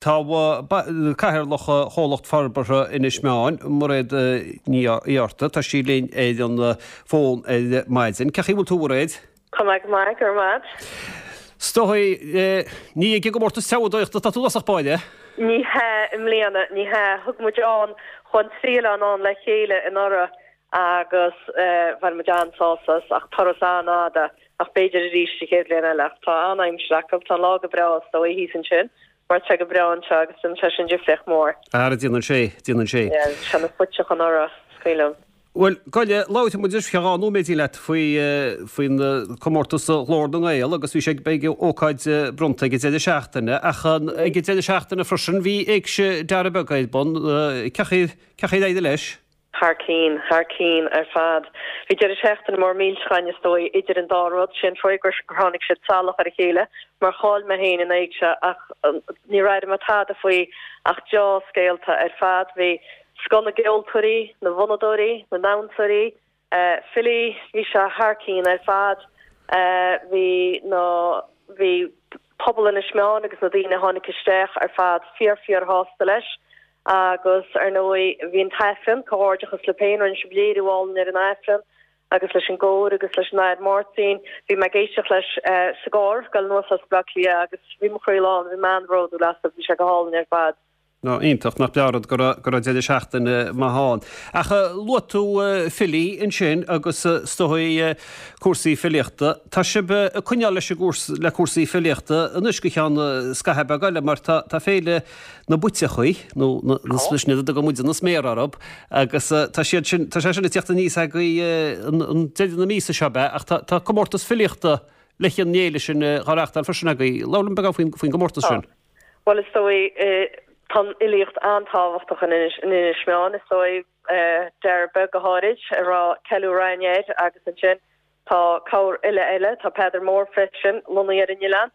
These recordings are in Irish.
Tá Cathaoirleach Chomhlacht Forbartha Inis Meáin, Mairéad Ní Fhátharta, tá sí linn ar an bhfón ar maidin. Cén chaoi a bhfuil tú, a Mhairéad? Tá mé go maith, go raibh maith agat. Is dóigh, ní ag an gcomórtas treabhadóireachta atá tú i dtosach báire? Ní hea, i mbliana, ní hea. Thug muid ann, chuaigh an trí oileán ann le chéile anuraidh agus bhain muid an-sásamh as, ach turas an-fhada, ach b'fhéidir arís an chéad bhliain eile. Ach tá an-aimsir acu, tá an lá go breá is dóigh thíos ansin. Mar tá go breá anseo agus déanann sé sin difríocht mhór. Ara déanann sé, déanann sé. Yeah, bhí sé ina phuiteach anuraidh, is cuimhin liom. Bhuel, gabh i leith, labhróidh muid ar feadh dhá nóiméidín leat faoi, faoin comórtas Ghlór na nGael agus bhí sé, beidh ócáid bronnta ag an deireadh seachtaine ach ag an deireadh seachtaine freisin bhí Éigse Dara Beag ar bun. Cén chaoi, cén chaoi ar éirigh leis? Thar cinn, thar cinn ar fad. Bhí deireadh seachtaine mór millteach againn is dóigh idir an dá rud. Sé an fáth gur tháinig siad salach ar a chéile mar chaill mé féin an éigse ach níor airigh mé tada faoi ach deá-scéalta ar fad. Bhí scoth na gceoltóirí, na bhfonnadóirí, na ndamhsóirí, filí, bhí sé thar cinn ar fad. Bhí na, bhí pobal Inis Meáin agus na daoine a tháinig isteach ar fad fíor fíor shásta leis. Agus, ar ndóigh, bhí an tAifreann, comhghairdeachas libh féin, rinne sibh léiriú álainn ar an Aifreann agus leis an gcór agus leis an Athair Máirtín. Bhí mé ag éisteacht leis sa gcarr, ag dul anuas as Baile Átha Cliath agus bhí mo chroí lán, bhí mé an-bhródúil asaibh, bhí sé go hálainn ar fad. Ná iontach, nach breá an rud go raibh go raibh deireadh seachtaine maith ann. Ach luaigh tú filí ansin agus is dóigh cúrsaí filíochta. Tá sibh ag coinneáil leis an gcúrsa, le cúrsaí filíochta anois go ceann scaitheamh beag eile mar tá tá féile na bpuiteachaí, nó na, sin iad a dtugann muide na sméara orthu, agus tá siad sin, tá sé sin ag tíocht aníos agaibh an deireadh na míosa seo, ab ea? Ach tá, tá comórtas filíochta le an fhéile sin á reáchtáil freisin agaibh. Labhair liom beagán faoin, faoin gcomórtas Tá. sin. Bhuel, is dóigh, tá an fhilíocht an-tábhachtach in Inis, in Inis Meáin, is dóigh, Dara Beag go háirid, a raibh ceiliúradh againn air agus ansin Tá corr fhile eile, tá Peadar Mór freisin, lonnaithe ar an oileán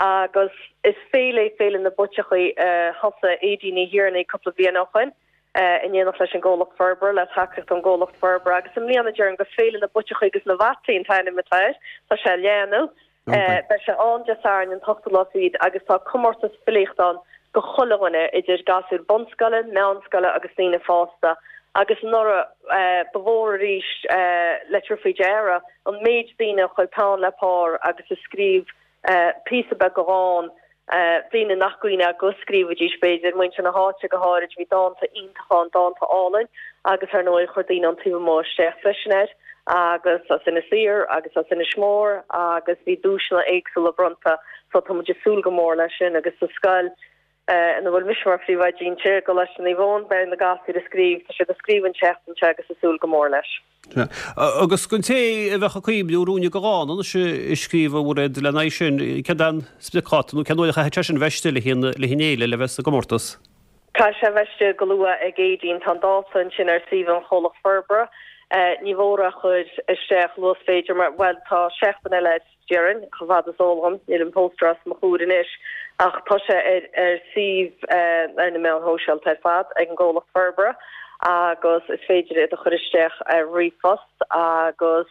agus is féile é Féile na bPuiteachaí a thosaigh Aedín Ní Thiarnaigh cúpla bliain ó shoin in éineacht leis an gComhlacht Forbartha, le tacaíocht ón gComhlacht Forbartha agus i mbliana déarfainn gur Féile na bPuiteachaí agus na bhFataí an t-ainm atá air. Tá sé á leathnú. Beidh sé ann Dé Sathairn an t-ochtú lá fichead agus tá comórtas filíochta ann go chuile dhuine, idir gasúir bunscoile, meánscoile agus daoine fásta. Agus anuraidh ba mhór arís le tabhairt faoi deara an méid daoine a chuir peann le pár agus a scríobh píosa beag de dhán, daoine nach gcuimhneofá go scríobhaidís, b'fhéidir, muintir na háite go háirid, bhí dánta iontacha ann, dánta álainn agus ar ndóigh chuir daoine ón taobh amuigh isteach freisin air agus as Inis Oírr agus as Inis Mór agus bhí duaiseanna éagsúla bronnta so tá muid ag súil go mór leis sin agus sa scoil ina bhfuil mise mar phríomhoide inti, i gColáiste Naomh Eoin, beidh na gasúir ag scríobh, tá siad ag scríobh an tseachtain seo agus ag súil go mór leis. Agus don té a bheadh ag cuimhniú ruainne de dhán anois a scríobh a Mhairéad lena aghaidh sin, céard é an spriocdháta nó cén uair a chaithfidh sé sin a bheith istigh le haghaidh an fhéile le bheith sa gcomórtas? Caithfidh sé a bheith istigh go luath ag Aedín. Tá an dáta ansin ar suíomh an Chomhlacht Forbartha. Ní mhór é a chur isteach luath is féidir mar, bhuel, tá seachtain eile air, déarfainn, chomh fada is eol dhom. Níl an póstaer os mo chomhair anois ach tá sé ar ar suíomh ar na meáin shóisialta ar fad ag an gComhlacht Forbartha agus is féidir iad a chur isteach ar ríomhphost agus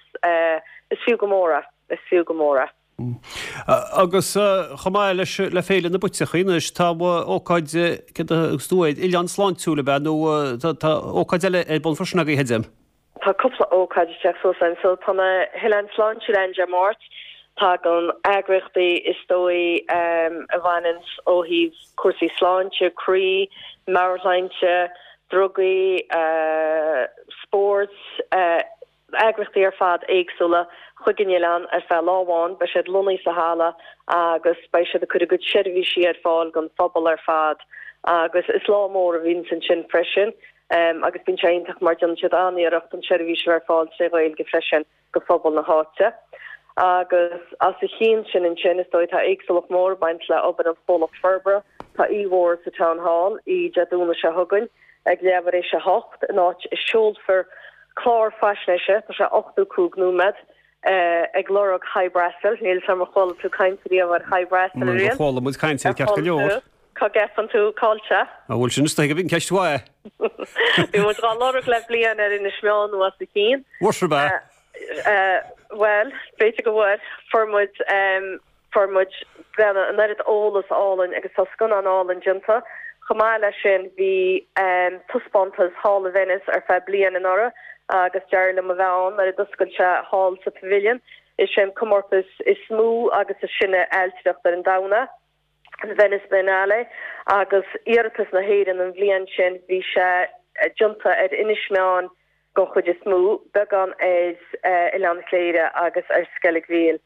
is fiú go mór é, is fiú go mór é. Agus chomh maith leis le Féile na bPuiteachaí anois, tá ócáid, céard a thugas tú air, Oileán Sláintiúil ab ea, nó tá ócáid eile ar bun freisin agaibh, creidim? Tá cúpla ócáid ag teacht suas ann. So tá na hOileáin Sláintiúil ann Dé Máirt. Tagann eagraíochtaí is dóigh a bhaineanns ó thaobh cúrsaí sláinte, croí, meabhairshláinte, drugaí, spóirt, eagraíochtaí ar fad éagsúla chuig an oileán ar feadh lá amháin. Beidh siad lonnaithe sa halla agus beidh siad ag cur a gcuid seirbhísí ar fáil don phobal ar fad agus is lá mór a bhíonns ansin freisin agus bíonn sé iontach mar déanann siad an-iarracht an tseirbhís a bheith ar fáil tré Ghaeilge freisin go phobal na háite. Agus as a chionn sin ansin is dóigh tá éagsúlacht mhór ag baint le obair an Chomhlacht Forbartha. Tá oíche mhór sa Town Hall oíche Dé Domhnaigh seo chugainn ag leathuair tar éis a hocht in áit a seolfar clár faisnéise, tá sé 85 nóiméad, ag lorg Hy Brasil. Níl 'fhios a'm ar chuala tú caint riamh ar Hy Brasil ariamh. Chuala muid caint air ceart go leor. Cá gceapann tú cá bhfuil sé? Á bhuel sin is dóigh gurb in ceist mhaith. Bhí muid dhá lorg le bliain ar Inis Meáin nó os a chionn. Bhfuair sibh é? Bhuel, b'fhéidir go bhfuair. Fuair muid. Fuair muid breathnú an oiread eolas álainn agus tá scannán álainn déanta. Chomh maith leis sin bhí taispeántas thall i Venice ar feadh bliain anuraidh agus d'éirigh liom a bheith ann nuair a d'oscail sé thall sa Pavilion. Is é an comórtas is mó agus is sine ailtireachta ar an domhan é, an Venice Biennale, agus iarratas na hÉireann an bhliain sin bhí sé déanta ar Inis Meáin den chuid is mó, beagán ar Oileán Chléire agus ar Sceilg Mhíl.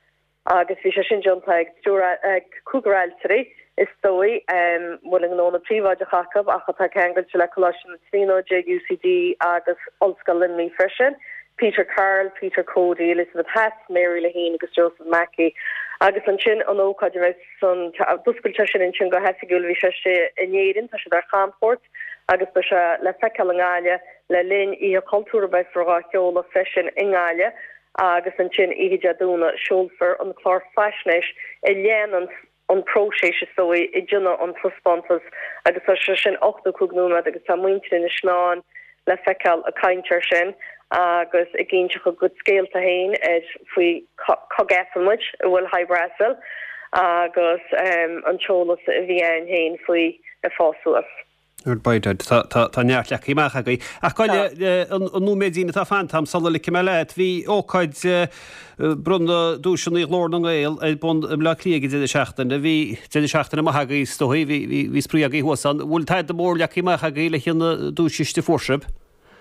Agus bhí sé sin déanta ag triúr, ag cúigear ailtirí, is dóigh, a bhfuil a ngnónna príobháideach acu ach atá ceangailte le Coláiste na Tríonóide, UCD agus Ollscoil Luimnigh freisin, Peter Carroll, Peter Cody, Elizabeth Hass, Mary Lehane agus Joseph Mackey. Agus ansin an ócáid a bheidh san, d'oscail sé sin ansin go hoifigiúil, bhí sé istigh in Éirinn, tá siad ar chamchuairt agus beidh sé le feiceáil i nGaillimh le linn Oíche Chultúir a bheifear dhá sheoladh freisin i nGaillimh. agus ansin oíche Dé Domhnaigh seolfar an clár faisnéis a léanann an próiseas is dóigh a déanadh an taispeántas agus tá sé sin 85 nóiméad agus tá muintir Inis Meáin le feiceáil ag caint air sin agus ag inseacht a gcuid scéalta féin ar faoi cá gceapann muid a bhfuil Hy Brasil agus an t-eolas a bhí againn féin faoi ag fás suas. Tá neart leagtha amach agaibh. Ach gabh i leith, an nóiméidín atá fanta agam sula ligfidh mé leat, bhí ócáid bronnadh duaiseanna Ghlór na nGael ar bun i mBleá Cliath ag an deireadh seachtaine. Bhí deireadh seachtaine maith agaibh is dóigh, bhí spraoi agaibh thuas ann. Bhfuil tada mór leagtha amach agaibh le haghaidh an duaischiste a fuair sibh?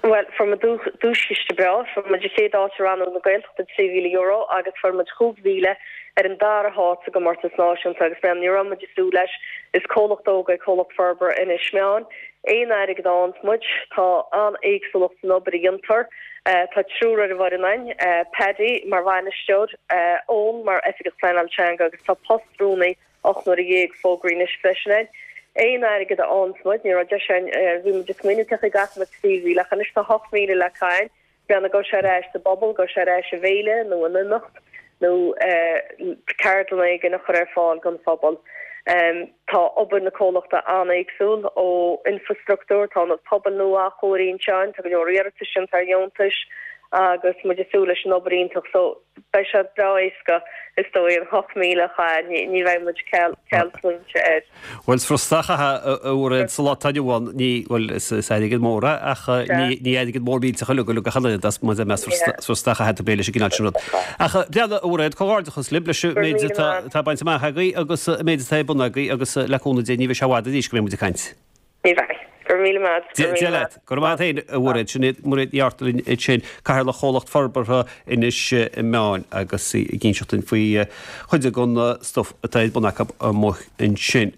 Bhuel, fuair muid duaischiste breá. Fuair muid an chéad áit i rannóg na Gaeltachta, €3,000, agus fuair muid 5,000 ar an dara háit sa gcomórtas náisiúnta agus bhuel, ní raibh muid ag súil leis. Is comhlacht óg é Comhlacht Forbartha Inis Meáin. Aon airgead a fhaigheanns muid, tá an-éagsúlacht san obair a dhéantar. Tá triúr ar an bhfoireann againn, Paddy mar bhainisteoir, Eoin mar Oifigeach Pleanála Teanga agus tá post rúnaí 18 n-uaire fógraithe anois freisin againn. Aon airgead a fhaigheanns muid, ní raibh deis againn, bhí muid ag smaoineamh cén chaoi a gcaithfidh muid 3,000 ach anois tá 8,000 le caitheamh, breathnaigh gabhfaidh sé ar ais sa bpobal, gabhfaidh sé ar ais i bhféile nó in imeacht nó ceardlann éigin a chur ar fáil don phobal. Tá obair na comhlachta an-éagsúil ó infrastruchtúr, tá ionad pobail nua á chóiriú anseo againn, tá go leor iarratais déanta ar dheontais agus muid ag súil leis an obair iontach so. Beidh sé breá éasca, is dóigh, an 8,000 a chaitheamh, ní bheidh muid ceal smaointe air. Bhuel, is furasta a chaitheamh, a Mhairéad, sa lá atá inniu ann, ní, bhuel, is airgead mór é, ach ní airgead mór millteach uilig go gach aon rud, más ea, is furasta a chaitheamh tú leis an gcineál sin rud. Ach breathnaigh, a Mhairéad, comhghairdeachas libh leis an méid atá bainte amach agaibh agus an méid atá ar bun agaibh agus le cúnamh Dé ní bheidh sé i bhfad arís go mbeidh muid ag caint. Ní bheidh. Go raibh míle maith agat. Dia leat. Go raibh maith agat féin, a Mhairéad. Sin iad Mairéad Ní Artúin ansin, Cathaoirleach Chomhlacht Forbartha Inis Meáin agus í ag inseacht dúinn faoi chuid den stuif atá ar bun acu amuigh ansin.